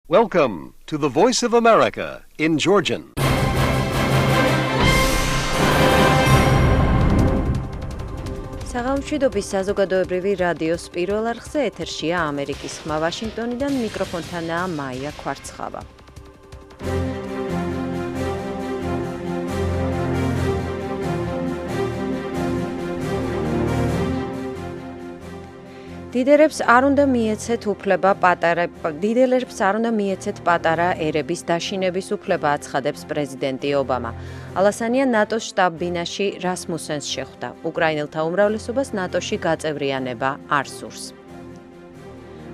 Welcome to the Voice of America in Georgian. საღამოშვიდობის საზოგადოებრივი რადიოს პირველ არხზე ეთერშია ამერიკის ხმა ვაშინგტონიდან მიკროფონთანაა მაია კვარცხავა. დიდერებს არ უნდა მიეცეთ პატარა ერების დაშინების უფლება, აცხადებს პრეზიდენტი ობამა. ალასანია ნატოს შტაბ-ბინაში რასმუსენს შეხვდა. უკრაინელთა უმრავლესობას ნატოში გაწევრიანება არ სურს.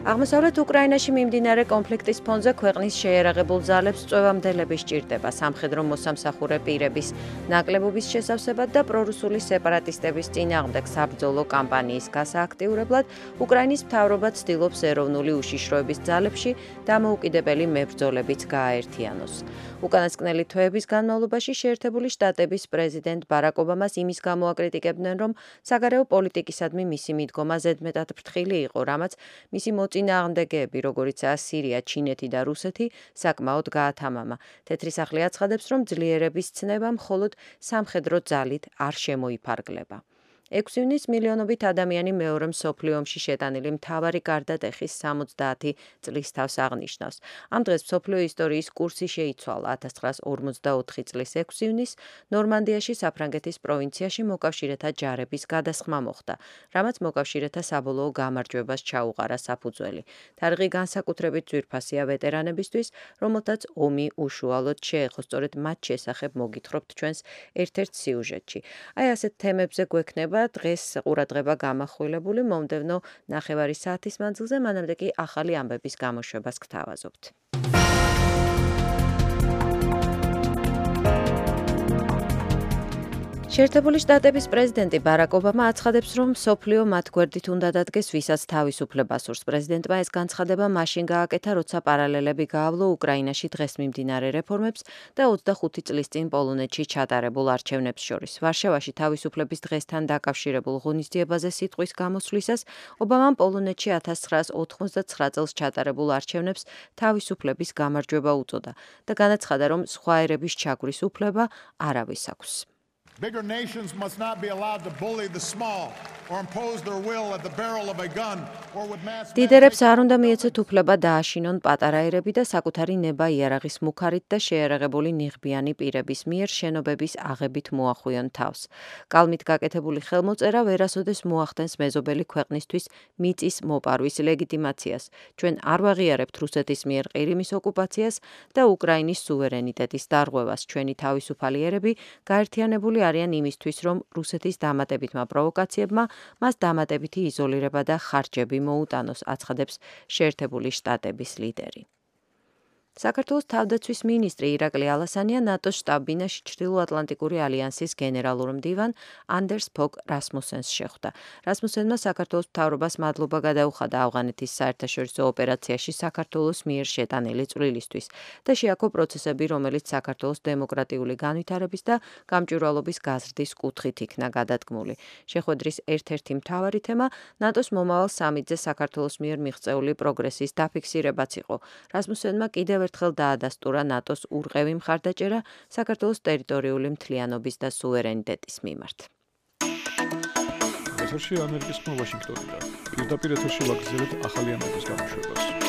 აღმოსავლეთ უკრაინაში მიმდინარე კონფლიქტის ფონზე ქვეყნის შეიარაღებულ ძალებს წვევამდელები სჭირდება სამხედრო მოსამსახურე პირების ნაკლებობის შესავსებად და პრორუსული სეპარატისტების წინააღმდეგ საბრძოლო კამპანიის გასააქტიურებლად უკრაინის მთავრობა ცდილობს ეროვნული უშიშროების ძალებში დამოუკიდებელი მებრძოლებიც გააერთიანოს. უკანასკნელი თვეების განმავლობაში შეერთებული შტატების პრეზიდენტ ბარაკ ობამას იმის გამო აკრიტიკებდნენ, რომ საგარეო პოლიტიკისადმი მისი მიდგომა ზედმეტად ფრთხილი იყო, რამაც მისი წინააღმდეგეები, როგორიცაა სირია, ჩინეთი და რუსეთი, საკმაოდ გაათამამა. თეთრი სახლი აცხადებს, რომ ძლიერების ცნება მხოლოდ სამხედრო ძალით არ შემოიფარგლება. 6 ივნისს მილიონობით ადამიანი მეორე მსოფლიო ომში შეტანილი მთავარი გარდატეხის 70 წლის თავს აღნიშნავს. ამ დღეს მსოფლიო ისტორიის კურსი შეიცვალა. 1944 წლის 6 ივნისს ნორმანდიაში საფრანგეთის პროვინციაში მოკავშირეთა ჯარების გადასხმა მოხდა, რამაც მოკავშირეთა საბოლოო გამარჯვებას ჩაუყარა საფუძველი. თარიღი განსაკუთრებით ძვირფასია ვეტერანებისთვის, რომელთაც ომი უშუალოდ შეეხო. სწორედ მათ შესახებ მოგითხრობთ ჩვენს ერთ-ერთ სიუჟეტში. აი ასეთ თემებზე გვექნება დღეს ყურადღება გამახვილებული მომდევნო ნახევარი საათის მანძილზე, მანამდე კი ახალი ამბების გამოშვებას გთავაზობთ. შეერთებული შტატების პრეზიდენტი ბარაკ ობამა აცხადებს, რომ მსოფლიო მათ გვერდით უნდა დადგეს, ვისაც თავისუფლება სურს. პრეზიდენტმა ეს განცხადება მაშინ გააკეთა, როცა პარალელები გაავლო უკრაინაში დღეს მიმდინარე რეფორმებს და 25 წლის წინ პოლონეთში ჩატარებულ არჩევნებს შორის. ვარშავაში თავისუფლების დღესთან დაკავშირებულ ღონისძიებაზე სიტყვის გამოსვლისას ობამამ პოლონეთში 1989 წელს ჩატარებულ არჩევნებს თავისუფლების გამარჯვება უწოდა და განაცხადა, რომ სხვა ერების ჩაგვრის უფლება არავის აქვს. Bigger nations must not be allowed to bully the small or impose their will at the barrel of a gun or with mass. დიდერებს არ უნდა მიეცეთ უფლება დააშინონ პატარა ერები და საკუთარი ნება იარაღის მუქარით და შეიარაღებული ნიღბიანი პირების მიერ შენობების აღებით მოახვიონ თავს. კალმით გაკეთებული ხელმოწერა ვერასოდეს მოახდენს მეზობელი ქვეყნისთვის მიწის მოპარვის ლეგიტიმაციას. ჩვენ არ ვაღიარებთ რუსეთის მიერ ყირიმის ოკუპაციას და უკრაინის სუვერენიტეტის დარღვევას. ჩვენი თავისუფალი ერები გაერთიანებული არიან იმისთვის, რომ რუსეთის დამატებითმა პროვოკაციებმა მას დამატებითი იზოლირება და ხარჯები მოუტანოს, აცხადებს შეერთებული შტატების ლიდერი. საქართველოს თავდაცვის მინისტრი ირაკლი ალასანია ნატოს შტაბ-ბინაში ჩრდილოატლანტიკური ალიანსის გენერალურ მდივან ანდერს ფოგ რასმუსენს შეხვდა. რასმუსენმა საქართველოს მთავრობას მადლობა გადაუხადა ავღანეთის საერთაშორისო ოპერაციაში საქართველოს მიერ შეტანილი წვლილისთვის და შეაქო პროცესები, რომელიც საქართველოს დემოკრატიული განვითარების და გამჭვირვალობის გაზრდის კუთხით იქნა გადადგმული. შეხვედრის ერთ-ერთი მთავარი თემა ნატოს მომავალ სამიტზე საქართველოს მიერ მიღწეული პროგრესის დაფიქსირებაც იყო. რასმუსენმა კიდევ ერთხელ დაადასტურა ნატოს ურყევი მხარდაჭერა საქართველოს ტერიტორიული მთლიანობის და სუვერენიტეტის მიმართ. ეთერში ამერიკის ხმა ვაშინგტონიდან. პირდაპირ ეთერში ვაგრძელებთ ახალი ამბების გამოშვებას.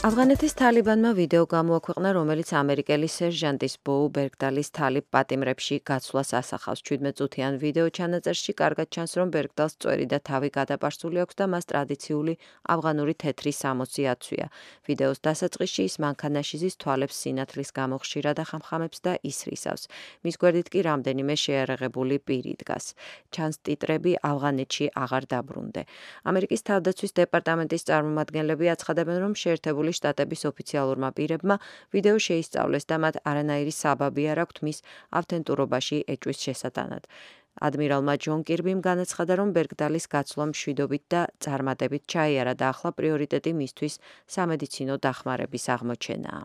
ავღანეთის თალიბანმა ვიდეო გამოაქვეყნა, რომელიც ამერიკელი სერჟანტის ბოუ ბერგდალის თალიბ პატიმრებში გაცვლას ასახავს. 17 წუთიან ვიდეო ჩანაწერში კარგად ჩანს, რომ ბერგდალს წვერი და თავი გადაპარსული აქვს და მას ტრადიციული ავღანური თეთრი სამოცი აცვია. ვიდეოს დასაწყისში ის მანქანაშიზის თვალებს სინათლის გამო ხშირად ახამხამებს და ისრისავს. მის გვერდით კი რამდენიმე შეიარაღებული პირი დგას. ჩანს ტიტრები ავღანეთში აღარ დაბრუნდე. ამერიკის თავდაცვის დეპარტამენტის წარმომადგენლები აცხადებენ, რომ შეერთებული შტატების ოფიციალურმა პირებმა ვიდეო შეისწავლეს და მათ არანაირი საბაბი არ აქვთ მის ავთენტურობაში ეჭვის შესატანად. ადმირალმა ჯონ კირბიმ განაცხადა, რომ ბერგდალის გაცვლა მშვიდობით და წარმატებით ჩაიარა და ახლა პრიორიტეტი მისთვის სამედიცინო დახმარების აღმოჩენაა.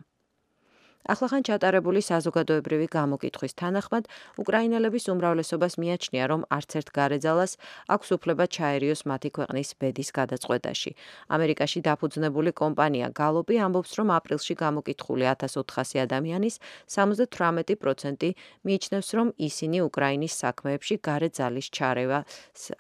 ახლახან ჩატარებული საზოგადოებრივი გამოკითხვის თანახმად, უკრაინელების უმრავლესობას მიაჩნია, რომ არც ერთ გარეძალას აქვს უფლება ჩაერიოს მათი ქვეყნის ბედის გადაწყვეტაში. ამერიკაში დაფუძნებული კომპანია Gallup-ი ამბობს, რომ აპრილში გამოკითხული 1400 ადამიანის 78% მიიჩნევს, რომ ისინი უკრაინის საქმეებში გარეძალის ჩარევას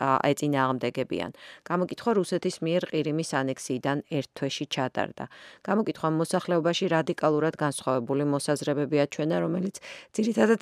ეწინააღმდეგებიან. გამოკითხვა რუსეთის მიერ ყირიმის ანექსიიდან ერთ თვეში ჩატარდა. გამოკითხვამ მოსახლეობაში რადიკალურად განსხვავებული მოსაზრებები აჩვენა, რომელიც ძირითადად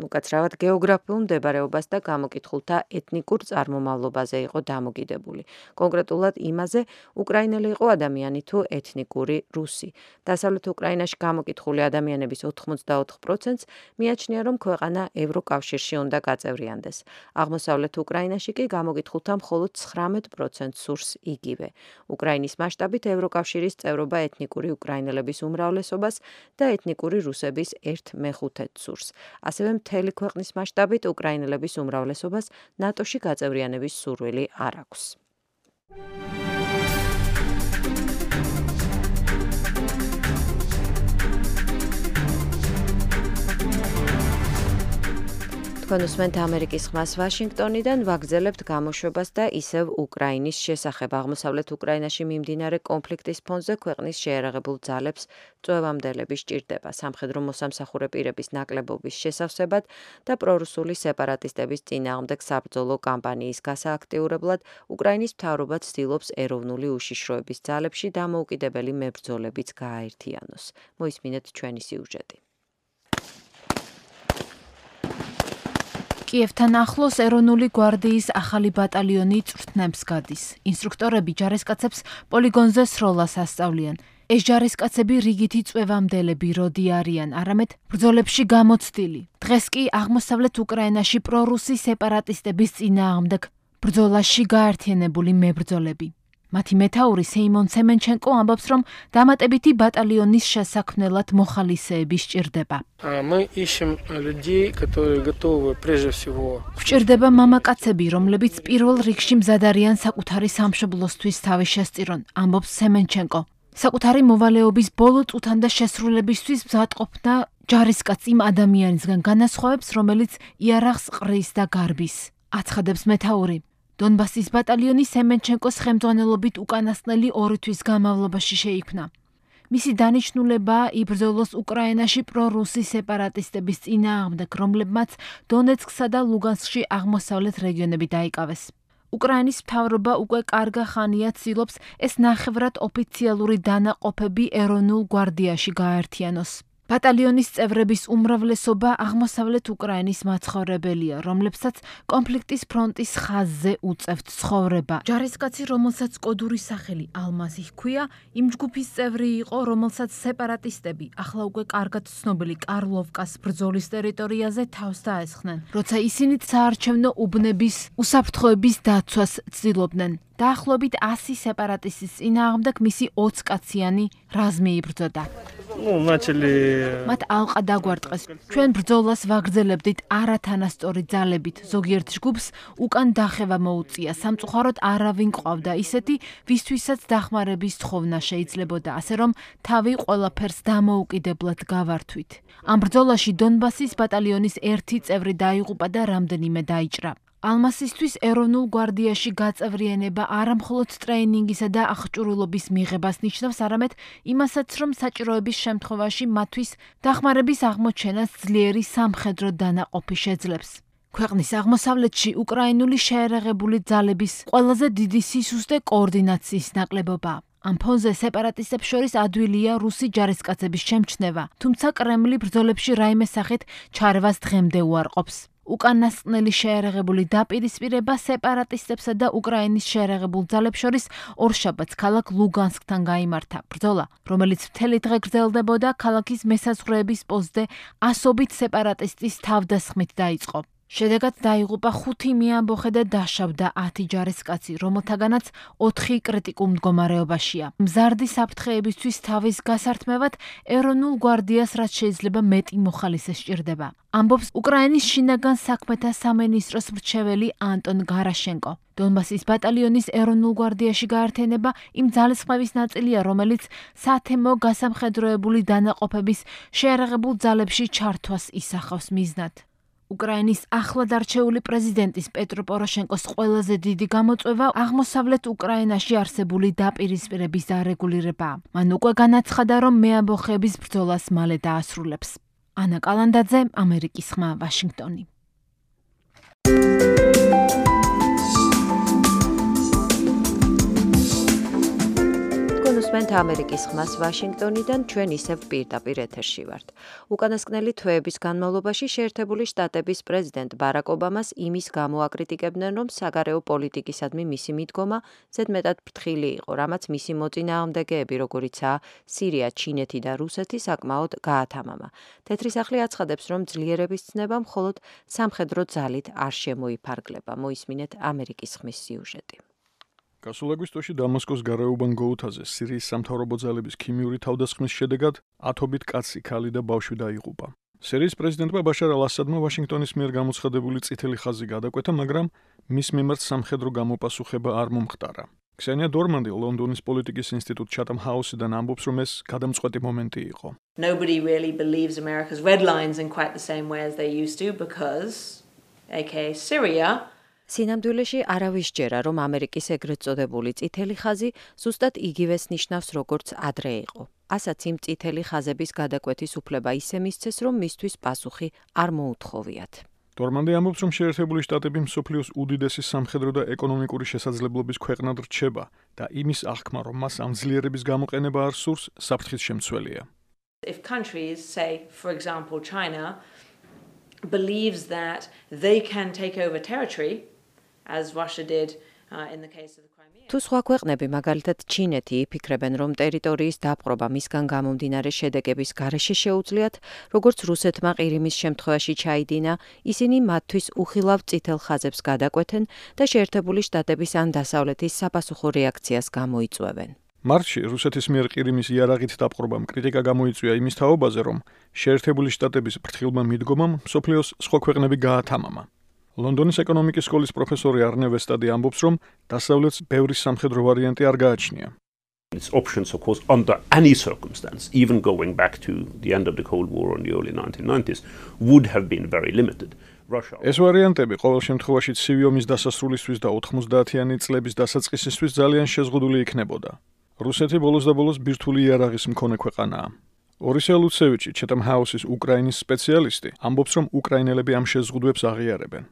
უკაცრავად გეოგრაფიულ მდებარეობას და გამოკითხულთა ეთნიკურ წარმომავლობაზე იყო დამოკიდებული. კონკრეტულად იმაზე, უკრაინელი იყო ადამიანი თუ ეთნიკური რუსი. დასავლეთ უკრაინაში გამოკითხული ადამიანების 84%-ს მიაჩნია, რომ ქვეყანა ევროკავშირში უნდა გაწევრიანდეს. აღმოსავლეთ უკრაინაში კი გამოკითხულთა მხოლოდ 19% სურს იგივე. უკრაინის მასშტაბით ევროკავშირის წევრობა ეთნიკური უკრაინელების უმრავლესობას და ეთნიკური რუსების 1/5 სურს. ასევე მთელი ქვეყნის მასშტაბით უკრაინელების უმრავლესობას ნატოში გაწევრიანების სურვილი არ აქვს. თქვენ უსმენთ ამერიკის ხმას ვაშინგტონიდან, ვაგრძელებთ გამოშვებას და ისევ უკრაინის შესახებ. აღმოსავლეთ უკრაინაში მიმდინარე კონფლიქტის ფონზე ქვეყნის შეიარაღებულ ძალებს წვევამდელები სჭირდება. სამხედრო მოსამსახურე პირების ნაკლებობის შესავსებად და პრორუსული სეპარატისტების წინააღმდეგ საბრძოლო კამპანიის გასააქტიურებლად უკრაინის მთავრობა ცდილობს ეროვნული უშიშროების ძალებში დამოუკიდებელი მებრძოლებიც გააერთიანოს. მოისმინეთ ჩვენი სიუჟეტი. კიევთან ახლოს ეროვნული გვარდიის ახალი ბატალიონი წვრთნებს გადის. ინსტრუქტორები ჯარისკაცებს პოლიგონზე სროლას ასწავლიან. ეს ჯარისკაცები რიგითი წვევამდელები როდი არიან, არამედ ბრძოლებში გამოცდილი. დღეს კი აღმოსავლეთ უკრაინაში პრორუსი სეპარატისტების წინააღმდეგ ბრძოლაში გაერთიანებული მებრძოლები. მათი მეთაური სეიმონ ცემენჩენკო ამბობს, რომ დამატებითი ბატალიონის შესაქმნელად მოხალისეები სჭირდება. Мы ищем людей, которые готовы прежде всего. Გვჭირდება მამაკაცები, რომლებიც პირველ რიგში მზად არიან საკუთარი სამშობლოსთვის თავი შესწირონ, ამბობს ცემენჩენკო. საკუთარი მოვალეობის ბოლო წუთან და შესრულებისთვის მზადყოფნა ჯარისკაც იმ ადამიანისგან განასხვავებს, რომელიც იარაღს ყრის და გარბის. აცხადებს მეთაური. დონბასის ბატალიონი სემენჩენკოს ხელმძღვანელობით უკანასკნელი 2 თვის განმავლობაში შეიქმნა. მისი დანიშნულებაა იბრძოლოს უკრაინაში პრორუსი სეპარატისტების წინააღმდეგ, რომლებმაც დონეცკსა და ლუგანსკში აღმოსავლეთ რეგიონები დაიკავეს. უკრაინის მთავრობა უკვე კარგა ხანია ცდილობს ეს ნახევრად ოფიციალური დანაყოფები ეროვნულ გვარდიაში გააერთიანოს. ბატალიონის წევრების უმრავლესობა აღმოსავლეთ უკრაინის მაცხოვრებელია, რომლებსაც კონფლიქტის ფრონტის ხაზზე უწევთ ცხოვრება. ჯარისკაცი, რომელსაც კოდური სახელი ალმაზი ჰქვია, იმ ჯგუფის წევრი იყო, რომელსაც სეპარატისტები ახლა უკვე კარგად ცნობილი კარლოვკას ბრძოლის ტერიტორიაზე თავს დაესხნენ, როცა ისინი საარჩევნო უბნების უსაფრთხოების დაცვას ცდილობდნენ. დაახლოებით 100 სეპარატისტის წინააღმდეგ მისი 20 კაციანი რაზმი იბრძოდა. მათ ალყა დაგვარტყეს. ჩვენ ბრძოლას ვაგრძელებდით არათანასწორი ძალებით. ზოგიერთ ჯგუფს უკან დახევა მოუწია. სამწუხაროდ არავინ ყავდა ისეთი, ვისთვისაც დახმარების თხოვნა შეიძლებოდა, ასე რომ თავი ყველაფერს დამოუკიდებლად გავართვით. ამ ბრძოლაში დონბასის ბატალიონის 1 წევრი დაიღუპა და რამდენიმე დაიჭრა. ალმასისთვის ეროვნულ გვარდიაში გაწევრიანება არა მხოლოდ ტრეინინგისა და აღჭურვილობის მიღებას ნიშნავს, არამედ იმასაც, რომ საჭიროების შემთხვევაში მათთვის დახმარების აღმოჩენას ძლიერი სამხედრო დანაყოფი შეძლებს. ქვეყნის აღმოსავლეთში უკრაინული შეიარაღებული ძალების ყველაზე დიდი სისუსტე კოორდინაციის ნაკლებობაა. ამ ფონზე სეპარატისტებს შორის ადვილია რუსი ჯარისკაცების შემჩნევა, თუმცა კრემლი ბრძოლებში რაიმე სახით ჩარევას დღემდე უარყოფს. უკანასკნელი შეიარაღებული დაპირისპირება სეპარატისტებსა და უკრაინის შეიარაღებულ ძალებს შორის ორშაბათს ქალაქ ლუგანსკთან გაიმართა. ბრძოლა, რომელიც მთელი დღე გრძელდებოდა, ქალაქის მესაზღვრეების პოსტზე ასობით სეპარატისტის თავდასხმით დაიწყო. შედეგად დაიღუპა 5 მეამბოხე და დაშავდა 10 ჯარისკაცი, რომელთაგანაც 4 კრიტიკულ მდგომარეობაშია. მზარდი საფრთხეებისთვის თავის გასართმევად ეროვნულ გვარდიას რაც შეიძლება მეტი მოხალისე სჭირდება. ამბობს უკრაინის შინაგან საქმეთა სამინისტროს მრჩეველი ანტონ გარაშენკო. დონბასის ბატალიონის ეროვნულ გვარდიაში გაერთიანება იმ ძალისხმევის ნაწილია, რომელიც სათემო გასამხედროებული დანაყოფების შეიარაღებულ ძალებში ჩართვას ისახავს მიზნად. უკრაინის ახლად არჩეული პრეზიდენტის პეტრო პოროშენკოს ყველაზე დიდი გამოწვევა აღმოსავლეთ უკრაინაში არსებული დაპირისპირების დარეგულირებაა. მან უკვე განაცხადა, რომ მეამბოხეების ბრძოლას მალე დაასრულებს. ანა კალანდაძე, ამერიკის ხმა, ვაშინგტონი. უსმენთ ამერიკის ხმას ვაშინგტონიდან, ჩვენ ისევ პირდაპირ ეთერში ვართ. უკანასკნელი თვეების განმავლობაში შეერთებული შტატების პრეზიდენტ ბარაკ ობამას იმის გამო აკრიტიკებდნენ, რომ საგარეო პოლიტიკისადმი მისი მიდგომა ზედმეტად ფრთხილი იყო, რამაც მისი მოწინააღმდეგეები, როგორიცაა სირია, ჩინეთი და რუსეთი, საკმაოდ გაათამამა. თეთრი სახლი აცხადებს, რომ ძლიერების ცნება მხოლოდ სამხედრო ძალით არ შემოიფარგლება. მოისმინეთ ამერიკის ხმის სიუჟეტი. გასულ აგვისტოში დამასკოს გარეუბან გოუთაზე სირიის სამთავრობო ძალების ქიმიური თავდასხმის შედეგად ათობით კაცი, ქალი და ბავშვი დაიღუპა. სირიის პრეზიდენტმა ბაშარ ალ-ასადმა ვაშინგტონის მიერ გამოცხადებული წითელი ხაზი გადაკვეთა, მაგრამ მის მიმართ სამხედრო გამოპასუხება არ მომხდარა. ქსენია დორმანდი ლონდონის პოლიტიკის ინსტიტუტ Chatham House-დან ამბობს, რომ ეს გადამწყვეტი მომენტი იყო. Nobody really believes America's red lines in quite the same way as they used to because aka Syria სინამდვილეში არავის ჯერა, რომ ამერიკის ეგრეთ წოდებული წითელი ხაზი ზუსტად იგივეს ნიშნავს, როგორც ადრე იყო. ასაც იმ წითელი ხაზების გადაკვეთის უფლება ისე მისცეს, რომ მისთვის პასუხი არ მოუთხოვიათ. დორმანდი ამბობს, რომ შეერთებული შტატები მსოფლიოს უდიდესი სამხედრო და ეკონომიკური შესაძლებლობის ქვეყნად რჩება და იმის აღქმა, რომ მას ამ ძლიერების გამოყენება არ სურს, საფრთხის შემცველია. If countries, say, for example, China, believes that they can take over territory, as Russia did in the case of the Crimea. თუ სხვა ქვეყნები, მაგალითად ჩინეთი, იფიქრებენ, რომ ტერიტორიის დაპყრობა მისგან გამომდინარე შედეგების გარეშე შეუძლიათ, როგორც რუსეთმა ყირიმის შემთხვევაში ჩაიდინა, ისინი მათთვის უხილავ წითელ ხაზებს გადაკვეთენ და შეერთებული შტატების ან დასავლეთის საპასუხო რეაქციას გამოიწვევენ. მარტში რუსეთის მიერ ყირიმის იარაღით დაპყრობამ კრიტიკა გამოიწვია იმის თაობაზე, რომ შეერთებული შტატების ფრთხილმა მიდგომამ მსოფლიოს სხვა ქვეყნები გაათამამა. ლონდონის ეკონომიკის სკოლის პროფესორი არნე ვესტადი ამბობს, რომ დასავლეთს ბევრი სამხედრო ვარიანტი არ გააჩნია. Its options, of course, under any circumstance, even going back to the end of the Cold War in the early 1990s, would have been very limited. Russia. ეს ვარიანტები ყოველ შემთხვევაში ცივი ომის დასასრულისთვის და 90-იანი წლების დასაწყისისთვის ძალიან შეზღუდული იქნებოდა. რუსეთი ბოლოს და ბოლოს ბირთვული იარაღის მქონე ქვეყანაა. ორისე ლუცევიჩი, Chatham House-ის უკრაინის სპეციალისტი, ამბობს, რომ უკრაინელები ამ შეზღუდვებს აღიარებენ.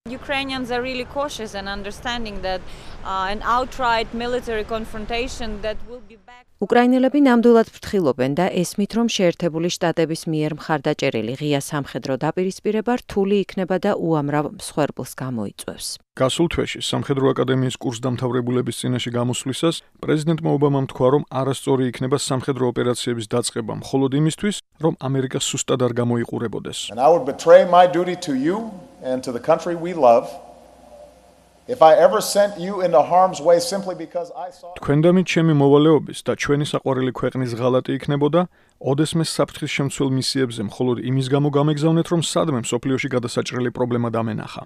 Ukrainians are really cautious and understanding that an outright military confrontation that will be back. უკრაინელები ნამდვილად ფრთხილობენ და ესმით, რომ შეერთებული შტატების მიერ მხარდაჭერილი ღია სამხედრო დაპირისპირება რთული იქნება და უამრავ მსხვერპლს გამოიწვევს. გასულ თვეში სამხედრო აკადემიის კურსდამთავრებულების წინაშე გამოსვლისას პრეზიდენტმა ობამამ თქვა, რომ არასწორი იქნება სამხედრო ოპერაციების დაწყება მხოლოდ იმისთვის, რომ ამერიკა სუსტად არ გამოიყურებოდეს. And I would betray my duty to you and to the country we love if I ever sent you into harm's way simply because I saw თქვენდამით ჩემი მოვალეობის და ჩვენი საყვარელი ქვეყნის ღალატი იქნებოდა, ოდესმე საფრთხის შემცველ მისიებზე მხოლოდ იმის გამო გამეგზავნეთ, რომ სადმე მსოფლიოში გადასაჭრელი პრობლემა დამენახა.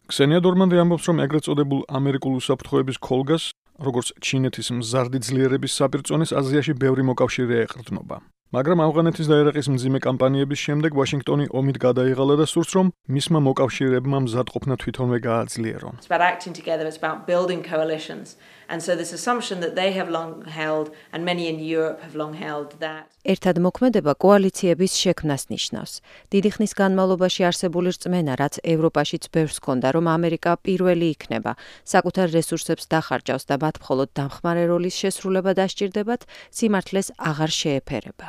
ქსენია დორმანდი ამბობს, რომ ეგრეთ წოდებულ ამერიკულ უსაფრთხოების ქოლგას, როგორც ჩინეთის მზარდი ძლიერების საპირწონეს აზიაში ბევრი მოკავშირე ეყრდნობა. მაგრამ ავღანეთის და ერაყის მძიმე კამპანიების შემდეგ ვაშინგტონი ომით გადაიღალა და სურს, რომ მისმა მოკავშირეებმა მზადყოფნა თვითონვე გააძლიერონ. It's about acting together, it's about building coalitions. And so this assumption that they have long held and many in Europe have long held that ერთად მოქმედება კოალიციების შექმნას ნიშნავს. დიდი ხნის განმავლობაში არსებული რწმენა, რაც ევროპაშიც ბევრს ჰქონდა, რომ ამერიკა პირველი იქნება, საკუთარ რესურსებს დახარჯავს და მათ მხოლოდ დამხმარე როლის შესრულება დასჭირდებათ, სიმართლეს აღარ შეეფერება.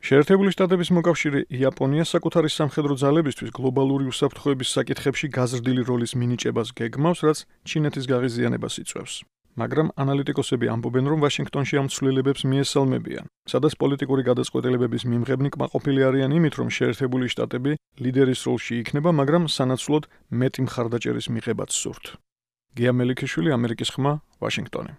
შეერთებული შტატების მოკავშირე იაპონია საკუთარი სამხედრო ძალებისთვის გლობალური უსაფრთხოების საკითხებში გაზრდილი როლის მინიჭებას გეგმავს, რაც ჩინეთის გაღიზიანებას იწვევს. მაგრამ ანალიტიკოსები ამბობენ, რომ ვაშინგტონში ამ ცვლილებებს მიესალმებიან, სადაც პოლიტიკური გადაწყვეტილებების მიმღებნი კმაყოფილი არიან იმით, რომ შეერთებული შტატები ლიდერის როლში იქნება, მაგრამ სანაცვლოდ მეტი მხარდაჭერის მიღებაც სურთ. გია მელიქიშვილი, ამერიკის ხმა, ვაშინგტონი.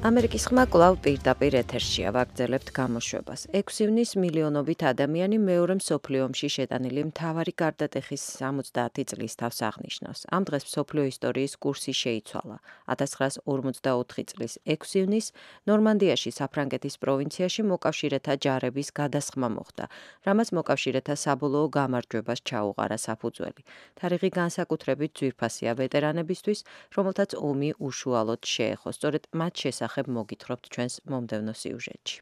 ამერიკის ხმა კვლავ პირდაპირ ეთერშია, ვაგრძელებთ გამოშვებას. 6 ივნის მილიონობით ადამიანი მეორე მსოფლიო ომში შეტანილი მთავარი გარდატეხის 70 წლის თავს აღნიშნავს. ამ დღეს მსოფლიო ისტორიის კურსი შეიცვალა. 1944 წლის 6 ივნის ნორმანდიაში, საფრანგეთის პროვინციაში მოკავშირეთა ჯარების გადასხმა მოხდა, რამაც მოკავშირეთა საბოლოო გამარჯვებას ჩაუყარა საფუძველი. თარიღი განსაკუთრებით ძვირფასია ვეტერანებისთვის, რომელთაც ომი უშუალოდ შეეხო, სწორედ მათ შესახებ მოგითხრობთ ჩვენს მომდევნო სიუჟეტში.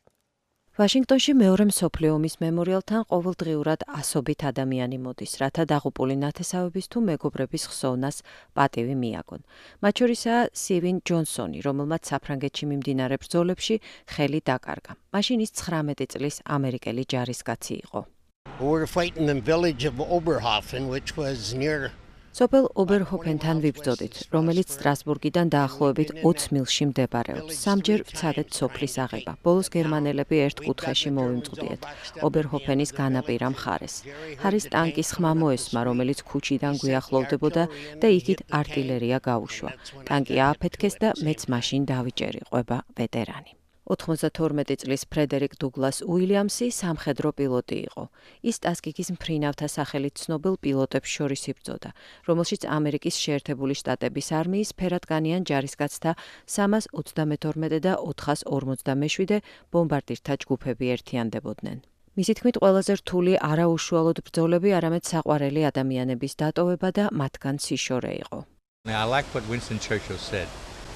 ვაშინგტონში მეორე მსოფლიო ომის მემორიალთან ყოველდღიურად ასობით ადამიანი მოდის, რათა დაღუპული ნათესავების თუ მეგობრების ხსოვნას პატივი მიაგონ. მათ შორისაა სივინ ჯონსონი, რომელმაც საფრანგეთში მიმდინარე ბრძოლებში ხელი დაკარგა. მაშინ ის 19 წლის ამერიკელი ჯარისკაცი იყო. We were fighting in the village of Oberhofen, which was near სოფელ ობერჰოფენთან ვიბრძოდით, რომელიც სტრასბურგიდან დაახლოებით 20 მილში მდებარეობს. სამჯერ ვცადეთ სოფლის აღება. ბოლოს გერმანელები ერთ კუთხეში მოვიმწვდიეთ, ობერჰოფენის განაპირა მხარეს. ჰარის ტანკის ხმა მოესმა, რომელიც ქუჩიდან გვიახლოვდებოდა და იქით არტილერია გაუშვა. ტანკი ააფეთქეს და მეც მაშინ დავიჭერი, ყვება ვეტერანი. 92 წლის ფრედერიკ დუგლას უილიამსი სამხედრო პილოტი იყო. ის ტასკიკის მფრინავთა სახელით ცნობილ პილოტებს შორის იბრძოდა, რომელშიც ამერიკის შეერთებული შტატების არმიის ფერადკანიან ჯარისკაცთა 322 და 457 ბომბარდირთა ჯგუფები ერთიანდებოდნენ. მისი თქმით, ყველაზე რთული არაუშუალოდ ბრძოლები, არამედ საყვარელი ადამიანების დატოვება და მათგან სიშორე იყო. I like what Winston Churchill said.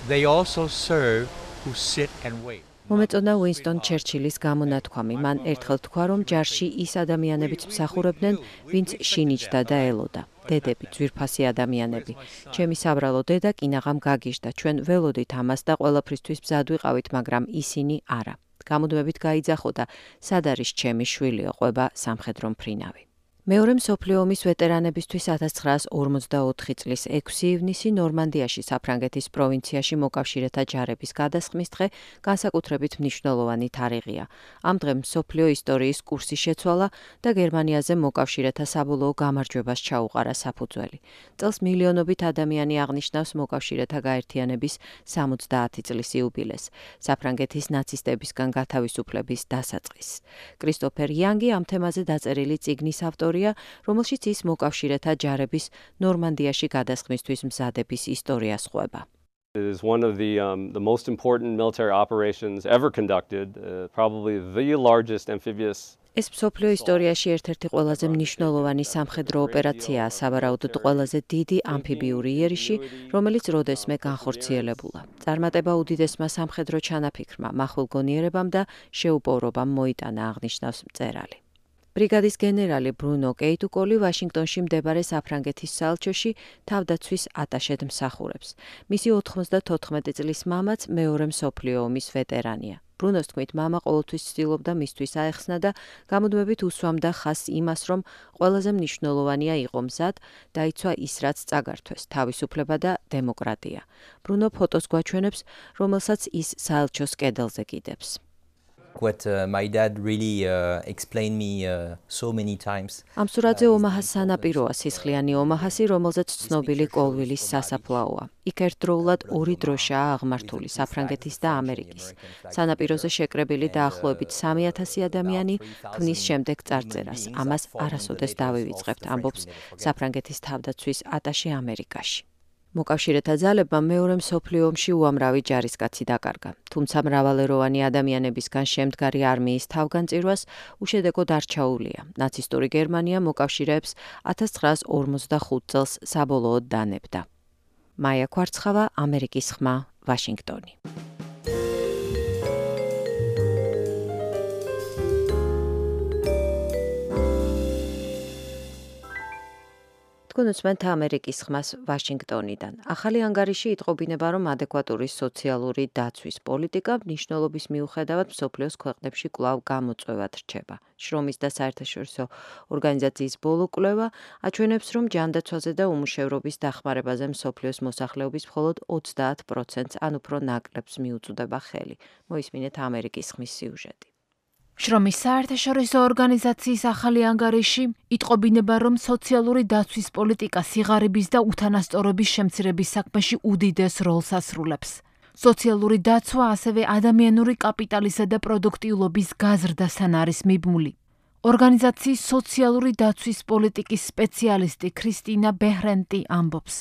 They also serve who sit and wait. მომეწონა უინსტონ ჩერჩილის გამონათქვამი. მან ერთხელ თქვა, რომ ჯარში ის ადამიანებიც მსახურებდნენ, ვინც შინიჭდა და ელოდა. დედები, ძვირფასი ადამიანები. ჩემი საბრალო დედა კინაღამ გაგიჟდა. ჩვენ ველოდით ამას და ყველაფრისთვის მზად ვიყავით, მაგრამ ისინი არა. გამუდმებით გაიძახო და სად არის ჩემი შვილიო, ყვება სამხედრო მფრინავი. მეორე მსოფლიო ომის ვეტერანებისთვის 1944 წლის 6 ივნისი ნორმანდიაში, საფრანგეთის პროვინციაში მოკავშირეთა ჯარების გადასხმის დღე განსაკუთრებით მნიშვნელოვანი თარიღია. ამ დღემ მსოფლიო ისტორიის კურსი შეცვალა და გერმანიაზე მოკავშირეთა საბოლოო გამარჯვებას ჩაუყარა საფუძველი. წელს მილიონობით ადამიანი აღნიშნავს მოკავშირეთა გაერთიანების 70 წლის იუბილეს, საფრანგეთის ნაცისტებისგან გათავისუფლების დასაწყისს. კრისტოფერ იანგი ამ თემაზე დაწერილი წიგნის ავტორია, რომელშიც ის მოკავშირეთა ჯარების ნორმანდიაში გადასხმისთვის მზადების ისტორიას ყვება. It is one of the most important military operations ever conducted, probably the largest amphibious. ეს მსოფლიო ისტორიაში ერთ-ერთი ყველაზე მნიშვნელოვანი სამხედრო ოპერაციაა, სავარაუდოდ ყველაზე დიდი ამფიბიური იერიში, რომელიც როდესმე განხორციელებულა. წარმატება უდიდესმა სამხედრო ჩანაფიქრმა, მახვილგონიერებამ და შეუპოვრობამ მოიტანა, აღნიშნავს მწერალი. ბრიგადის გენერალი ბრუნო კეიტუკოლი ვაშინგტონში მდებარე საფრანგეთის საელჩოში თავდაცვის ატაშედ მსახურებს. მისი 94 წლის მამაც მეორე მსოფლიო ომის ვეტერანია. ბრუნოს თქმით, მამა ყოველთვის ცდილობდა მისთვის აეხსნა და გამუდმებით უსვამდა ხაზს იმას, რომ ყველაზე მნიშვნელოვანია იყო მზად, დაიცვა ის, რაც წაგართვეს, თავისუფლება და დემოკრატია. ბრუნო ფოტოს გვაჩვენებს, რომელსაც ის საელჩოს კედელზე კიდებს. What my dad really explained me so many times. ამ სურათზე ომაჰას სანაპიროა, სისხლიანი ომაჰასი, რომელზეც ცნობილი კოლვილის სასაფლაოა. იქ ერთდროულად ორი დროშაა აღმართული, საფრანგეთის და ამერიკის. სანაპიროზე შეკრებილი დაახლოებით 3000 ადამიანი ქმნის შემდეგ წარწერას. ამას არასოდეს დავივიწყებთ, ამბობს საფრანგეთის თავდაცვის ატაშე ამერიკაში. მოკავშირეთა ძალებმა მეორე მსოფლიო ომში უამრავი ჯარისკაცი დაკარგა, თუმცა მრავალეროვანი ადამიანებისგან შემდგარი არმიის თავგანწირვას უშედეგოდ არ ჩაუვლია. ნაცისტური გერმანია მოკავშირეებს 1945 წელს საბოლოოდ დანებდა. მაია კვარცხავა, ამერიკის ხმა, ვაშინგტონი. გონოცმენთ ამერიკის ხმას ვაშინგტონიდან. ახალი ანგარიში იტყობინება, რომ ადეკვატური სოციალური დაცვის პოლიტიკა მნიშვნელობის მიუხედავად მსოფლიოს ქვეყნებში კვლავ გამოწვევად რჩება. შრომის და საერთაშორისო ორგანიზაციის ბოლო კვლევა აჩვენებს, რომ ჯანდაცვაზე და უმუშევრობის დახმარებაზე მსოფლიოს მოსახლეობის მხოლოდ 30%-ს ან უფრო ნაკლებს მიუწვდება ხელი. მოისმინეთ ამერიკის ხმის სიუჟეტი. შრომის საერთაშორისო ორგანიზაციის ახალი ანგარიში იტყობინება, რომ სოციალური დაცვის პოლიტიკა სიღარიბის და უთანასწორობის შემცირების საქმეში უდიდეს როლს ასრულებს. სოციალური დაცვა ასევე ადამიანური კაპიტალისა და პროდუქტიულობის გაზრდასთან არის მიბმული. ორგანიზაციის სოციალური დაცვის პოლიტიკის სპეციალისტი ქრისტინა ბეჰრენტი ამბობს.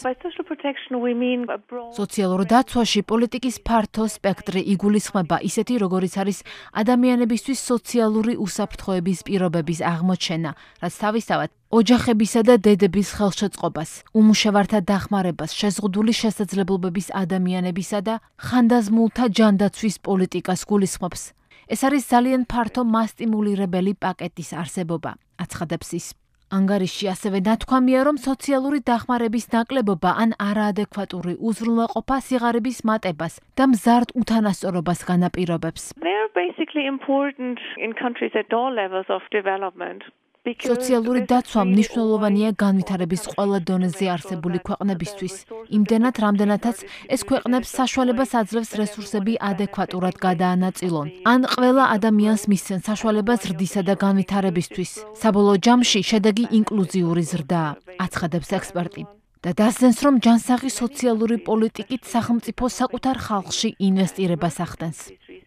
სოციალურ დაცვაში პოლიტიკის ფართო სპექტრი იგულისხმება ისეთი, როგორიც არის ადამიანებისთვის სოციალური უსაფრთხოების პირობების აღმოჩენა, რაც თავისთავად ოჯახებისა და დედების ხელშეწყობას, უმუშევართა დახმარებას, შეზღუდული შესაძლებლობების ადამიანებისა და ხანდაზმულთა ჯანდაცვის პოლიტიკას გულისხმობს. ეს არის ძალიან ფართო მასტიმულირებელი პაკეტის არსებობა, აცხადებს ის. ანგარიში ასევე ნათქვამია, რომ სოციალური დახმარების ნაკლებობა ან არაადეკვატური უზრუნველყოფა სიღარიბის მატებას და მზარდ უთანასწორობას განაპირობებს. სოციალური დაცვა მნიშვნელოვანია განვითარების ყველა დონეზე არსებული ქვეყნებისთვის, იმდენად, რამდენადაც ეს ქვეყნებს საშუალებას აძლევს რესურსები ადეკვატურად გადაანაწილონ, ან ყველა ადამიანს მისცენ საშუალებას ზრდისა და განვითარებისთვის. საბოლოო ჯამში შედეგი ინკლუზიური ზრდაა, აცხადებს ექსპერტი. და დასძენს, რომ ჯანსაღი სოციალური პოლიტიკით სახელმწიფო საკუთარ ხალხში ინვესტირებას ახდენს.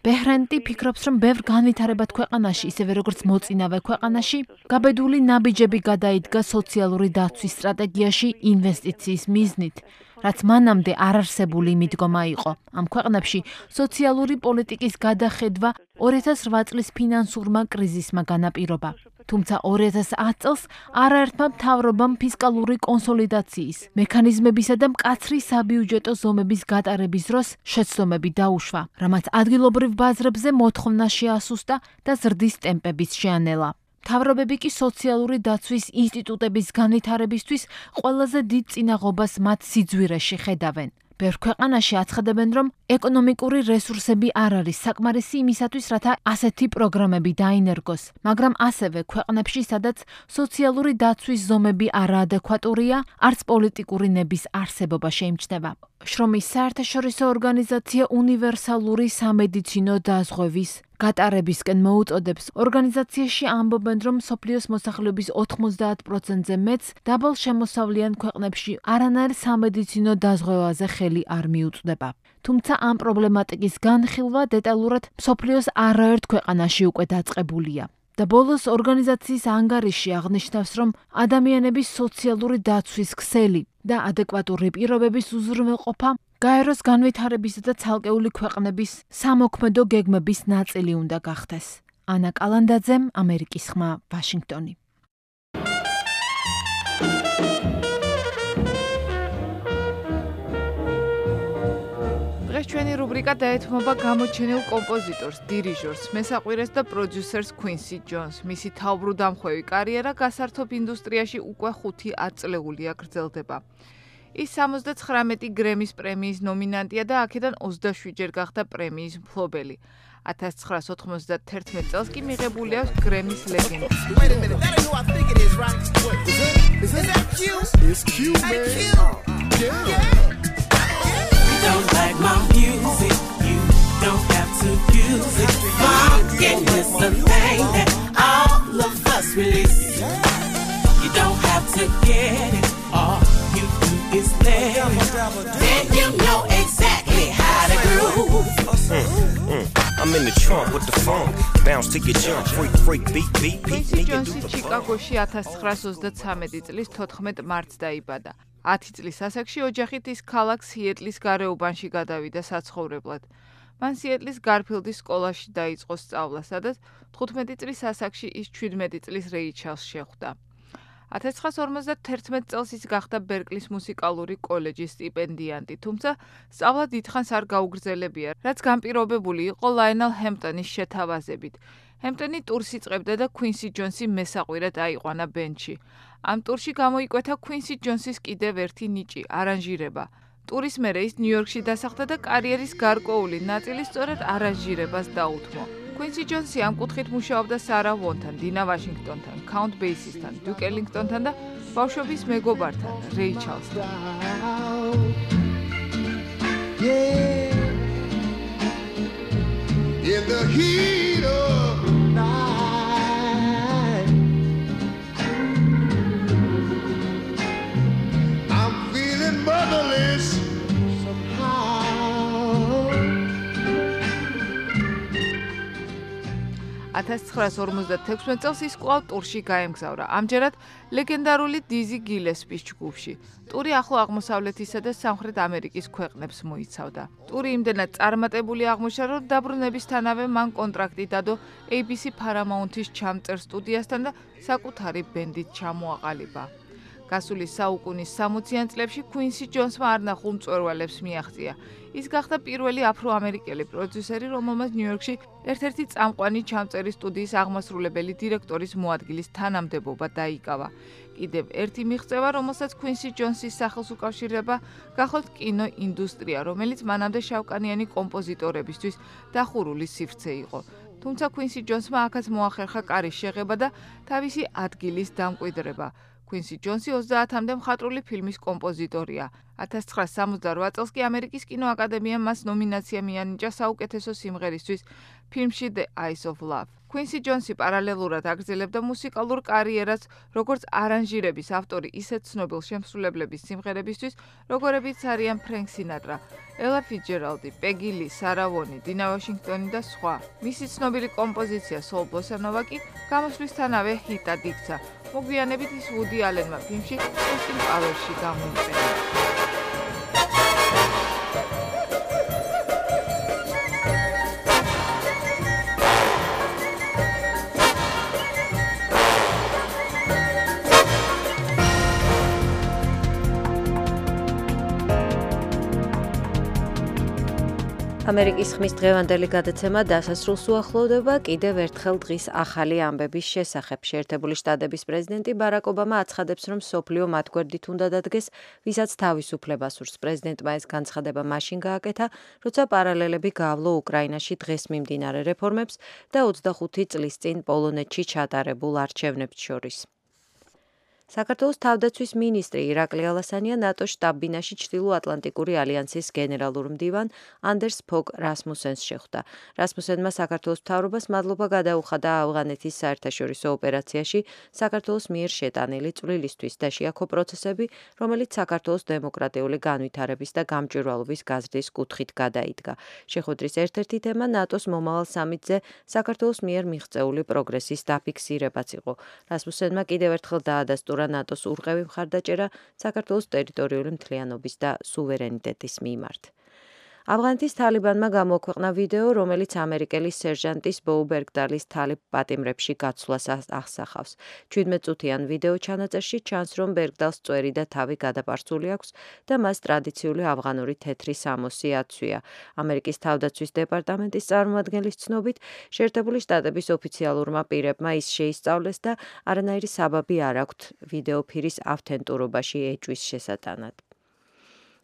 ბეჰრენტი ფიქრობს, რომ ბევრ განვითარებად ქვეყანაში, ისევე როგორც მოწინავე ქვეყანაში, გაბედული ნაბიჯები გადაიდგა სოციალური დაცვის სტრატეგიაში ინვესტიციის მიზნით, რაც მანამდე არარსებული მიდგომა იყო. ამ ქვეყნებში სოციალური პოლიტიკის გადახედვა 2008 წლის ფინანსურმა კრიზისმა განაპირობა. თუმცა 2010 წელს არაერთმა მთავრობამ ფისკალური კონსოლიდაციის, მექანიზმებისა და მკაცრი საბიუჯეტო ზომების გატარების დროს შეცდომები დაუშვა, რამაც ადგილობრივ ბაზრებზე მოთხოვნა შეასუსტა და ზრდის ტემპებიც შეანელა. მთავრობები კი სოციალური დაცვის ინსტიტუტების განვითარებისთვის ყველაზე დიდ წინაღობას მათ სიძვირეში ხედავენ. ბევრ ქვეყანაში აცხადებენ, რომ ეკონომიკური რესურსები არ არის საკმარისი იმისათვის, რათა ასეთი პროგრამები დაინერგოს, მაგრამ ასევე ქვეყნებში, სადაც სოციალური დაცვის ზომები არაადეკვატურია, არც პოლიტიკური ნების არსებობა შეიმჩნევა. შრომის საერთაშორისო ორგანიზაცია უნივერსალური სამედიცინო დაზღვევის გატარებისკენ მოუწოდებს. ორგანიზაციაში ამბობენ, რომ მსოფლიოს მოსახლეობის 90%-ზე მეც დაბალ შემოსავლიან ქვეყნებში არანაირ სამედიცინო დაზღვევაზე ხელი არ მიუწვდება. თუმცა ამ პრობლემატიკის განხილვა დეტალურად მსოფლიოს არაერთ ქვეყანაში უკვე დაწყებულია. და ბოლოს ორგანიზაციის ანგარიში აღნიშნავს, რომ ადამიანების სოციალური დაცვის ქსელი და ადეკვატური პირობების უზრუნველყოფა გაეროს განვითარებისა და ცალკეული ქვეყნების სამოქმედო გეგმების ნაწილი უნდა გახდეს. ანა კალანდაძემ, ამერიკის ხმა, ვაშინგტონი. დღეს ჩვენი რუბრიკა დაეთმობა გამოჩენილ კომპოზიტორს, დირიჟორს, მესაყვირეს და პროდიუსერს Quincy Jones. მისი თავბრუდამხვევი კარიერა გასართობ ინდუსტრიაში უკვე 5 წლეულია გრძელდება. ის 79 გრემის პრემიის ნომინანტია და აქედან 27 ჯერ გახდა პრემიის მფლობელი. 1991 წელს კი მიღებული აქვს გრემის ლეგენდა. Don't like my music, you don't have to use it. Market is the thing that all of us release. You don't have to get it, all you do is let it. Then you know exactly how to groove. I'm in the trunk with the funk, bounce to your jump, freak, beat, Quincy Jones-ი ჩიკაგოში 1933 წლის 14 მარტს დაიბადა. 10 წლის ასაკში ოჯახით ის ქალაქ სიეტლის გარეუბანში გადავიდა საცხოვრებლად. მან სიეტლის გარფილდის სკოლაში დაიწყო სწავლა, სადაც 15 წლის ასაკში ის 17 წლის რეიჩელს შეხვდა. 1951 წელს ის გახდა ბერკლის მუსიკალური კოლეჯის სტიპენდიანტი, თუმცა სწავლა დიდხანს არ გაუგრძელებია, რაც განპირობებული იყო ლაინელ ჰემპტონის შეთავაზებით. ჰემპტონი ტურს იწყებდა და Quincy Jones-ი მესაყვირედ აიყვანა ბენდში. ამ ტურში გამოიკვეთა Quincy Jones-ის კიდევ ერთი ნიჭი, არანჟირება. ტურის მერე ის ნიუ-იორკში დასახლდა და კარიერის გარკვეული ნაწილი სწორედ არანჟირებას დაუთმო. Quincy Jones-ი ამ კუთხით მუშაობდა Sarah Vaughan-თან, Dina Washington-თან, Count Basie-თან, Duke Ellington-თან და ბავშვობის მეგობართან, Ray Charles-თან. In the heat of night, I'm feeling motherless somehow. 1956 წელს ის კვლავ ტურში გაემგზავრა. ამჯერად ლეგენდარული Dizzy Gillespie-ის ჯგუფში. ტური ახლო აღმოსავლეთისა და სამხრეთ ამერიკის ქვეყნებს მოიცავდა. ტური იმდენად წარმატებული აღმოჩნდა, რომ დაბრუნებისთანავე მან კონტრაქტი დადო ABC Paramount-ის ჩამწერ სტუდიასთან და საკუთარი ბენდით ჩამოაყალიბა. გასული საუკუნის 60-იან წლებში Quincy Jones-მა არნახულ მწვერვალებს მიაღწია. ის გახდა პირველი აფრო-ამერიკელი პროდიუსერი, რომელმაც ნიუ-იორკში ერთ-ერთი წამყვანი ჩამწერი სტუდიის აღმასრულებელი დირექტორის მოადგილის თანამდებობა დაიკავა. კიდევ ერთი მიღწევა, რომელსაც Quincy Jones-ის სახელს უკავშირდება, გახოთ კინოინდუსტრია, რომელიც მანამდე შავკანიანი კომპოზიტორებისთვის დახურული სივრცე იყო. თუმცა Quincy Jones-მა აქაც მოახერხა კარის შეღება და თავისი ადგილის დამკვიდრება. Quincy Jones-ი 30-მდე მხატვრული ფილმის კომპოზიტორია. 1968 წელს კი ამერიკის კინოაკადემიამ მას ნომინაცია მიანიჭა საუკეთესო სიმღერისთვის ფილმში The Eyes of Love. Quincy Jones-ი პარალელურად აგრძელებდა მუსიკალურ კარიერას, როგორც არანჟირების ავტორი ისეთ ცნობილ შემსრულებლების სიმღერებისთვის, როგორებიც არიან Frank Sinatra, Ella Fitzgerald, Peggy Lee, Sarah Vaughan, Dina Washington და სხვა. მისი ცნობილი კომპოზიცია Soul Bossa Nova კი გამოსვლისთანავე ჰიტად იქცა. მოგვიანებით ის Woody Allen-მა ფილმში Austin Powers-ში გამოიყენა. ამერიკის ხმის დღევანდელი გადაცემა დასასრულს უახლოვდება. კიდევ ერთხელ დღის ახალი ამბების შესახებ. შეერთებული შტატების პრეზიდენტი ბარაკ ობამა აცხადებს, რომ სოფლიო მათ გვერდით უნდა დადგეს, ვისაც თავისუფლება სურს. პრეზიდენტმა ეს განცხადება მაშინ გააკეთა, როცა პარალელები გაავლო უკრაინაში დღეს მიმდინარე რეფორმებს და 25 წლის წინ პოლონეთში ჩატარებულ არჩევნებს შორის. საქართველოს თავდაცვის მინისტრი ირაკლი ალასანია ნატოს შტაბ-ბინაში ჩრდილო-ატლანტიკური ალიანსის გენერალურ მდივან ანდერს ფოგ რასმუსენს შეხვდა. რასმუსენმა საქართველოს მთავრობას მადლობა გადაუხადა ავღანეთის საერთაშორისო ოპერაციაში საქართველოს მიერ შეტანილი წვლილისთვის და შეაქო პროცესები, რომელიც საქართველოს დემოკრატიული განვითარების და გამჭვირვალობის გაზრდის კუთხით გადაიდგა. შეხვედრის ერთ-ერთი თემა ნატოს მომავალ სამიტზე საქართველოს მიერ მიღწეული პროგრესის დაფიქსირებაც იყო. რასმუსენმა კიდევ ერთხელ დაადასტურა ნატოს ურყევი მხარდაჭერა საქართველოს ტერიტორიული მთლიანობის და სუვერენიტეტის მიმართ. ავღანეთის თალიბანმა გამოაქვეყნა ვიდეო, რომელიც ამერიკელი სერჟანტის ბოუ ბერგდალის თალიბ პატიმრებში გაცვლას ახსახავს. 17 წუთიან ვიდეო ჩანაწერში ჩანს, რომ ბერგდალს წვერი და თავი გადაპარცული აქვს და მას ტრადიციული ავღანური თეთრი სამოსი აცვია. ამერიკის თავდაცვის დეპარტამენტის წარმომადგენლის ცნობით, შეერთებული შტატების ოფიციალურმა პირებმა ის შეისწავლეს და არანაირი საბაბი არ აქვთ ვიდეოფირის ავთენტურობაში ეჭვის შესატანად.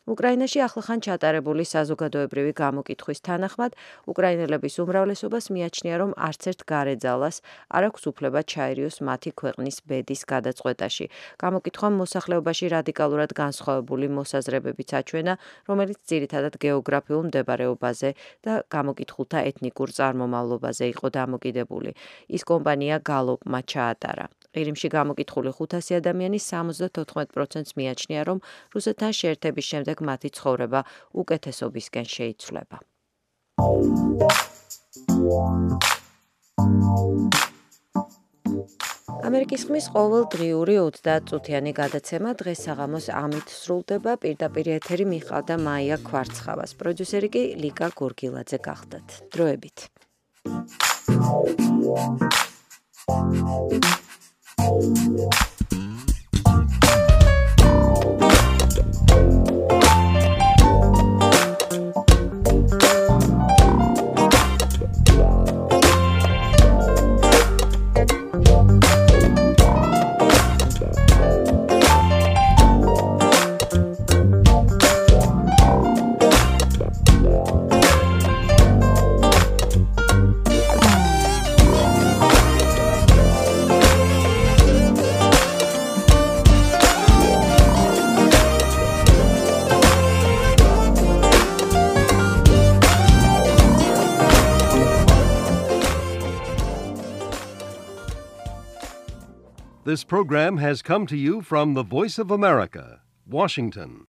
უკრაინაში ახლახან ჩატარებული საზოგადოებრივი გამოკითხვის თანახმად, უკრაინელების უმრავლესობას მიაჩნია, რომ არც ერთ გარეძალას არ აქვს უფლება ჩაერიოს მათი ქვეყნის ბედის გადაწყვეტაში. გამოკითხვამ მოსახლეობაში რადიკალურად განსხვავებული მოსაზრებებიც აჩვენა, რომელიც ძირითადად გეოგრაფიულ მდებარეობაზე და გამოკითხულთა ეთნიკურ წარმომავლობაზე იყო დამოკიდებული. ის კომპანია გალოპმა ჩაატარა. ყირიმში გამოკითხული 500 ადამიანის 74%-ს მიაჩნია, რომ რუსეთთან შეერთების შემდეგ მათი ცხოვრება უკეთესობისკენ შეიცვლება. ამერიკის ხმის ყოველდღიური 30 წუთიანი გადაცემა დღეს საღამოს ამით სრულდება. პირდაპირ ეთერი მიყავდა მაია ქვარცხავას. პროდიუსერი კი ლიკა გორგილაძე გახდათ. დროებით. This program has come to you from the Voice of America, Washington.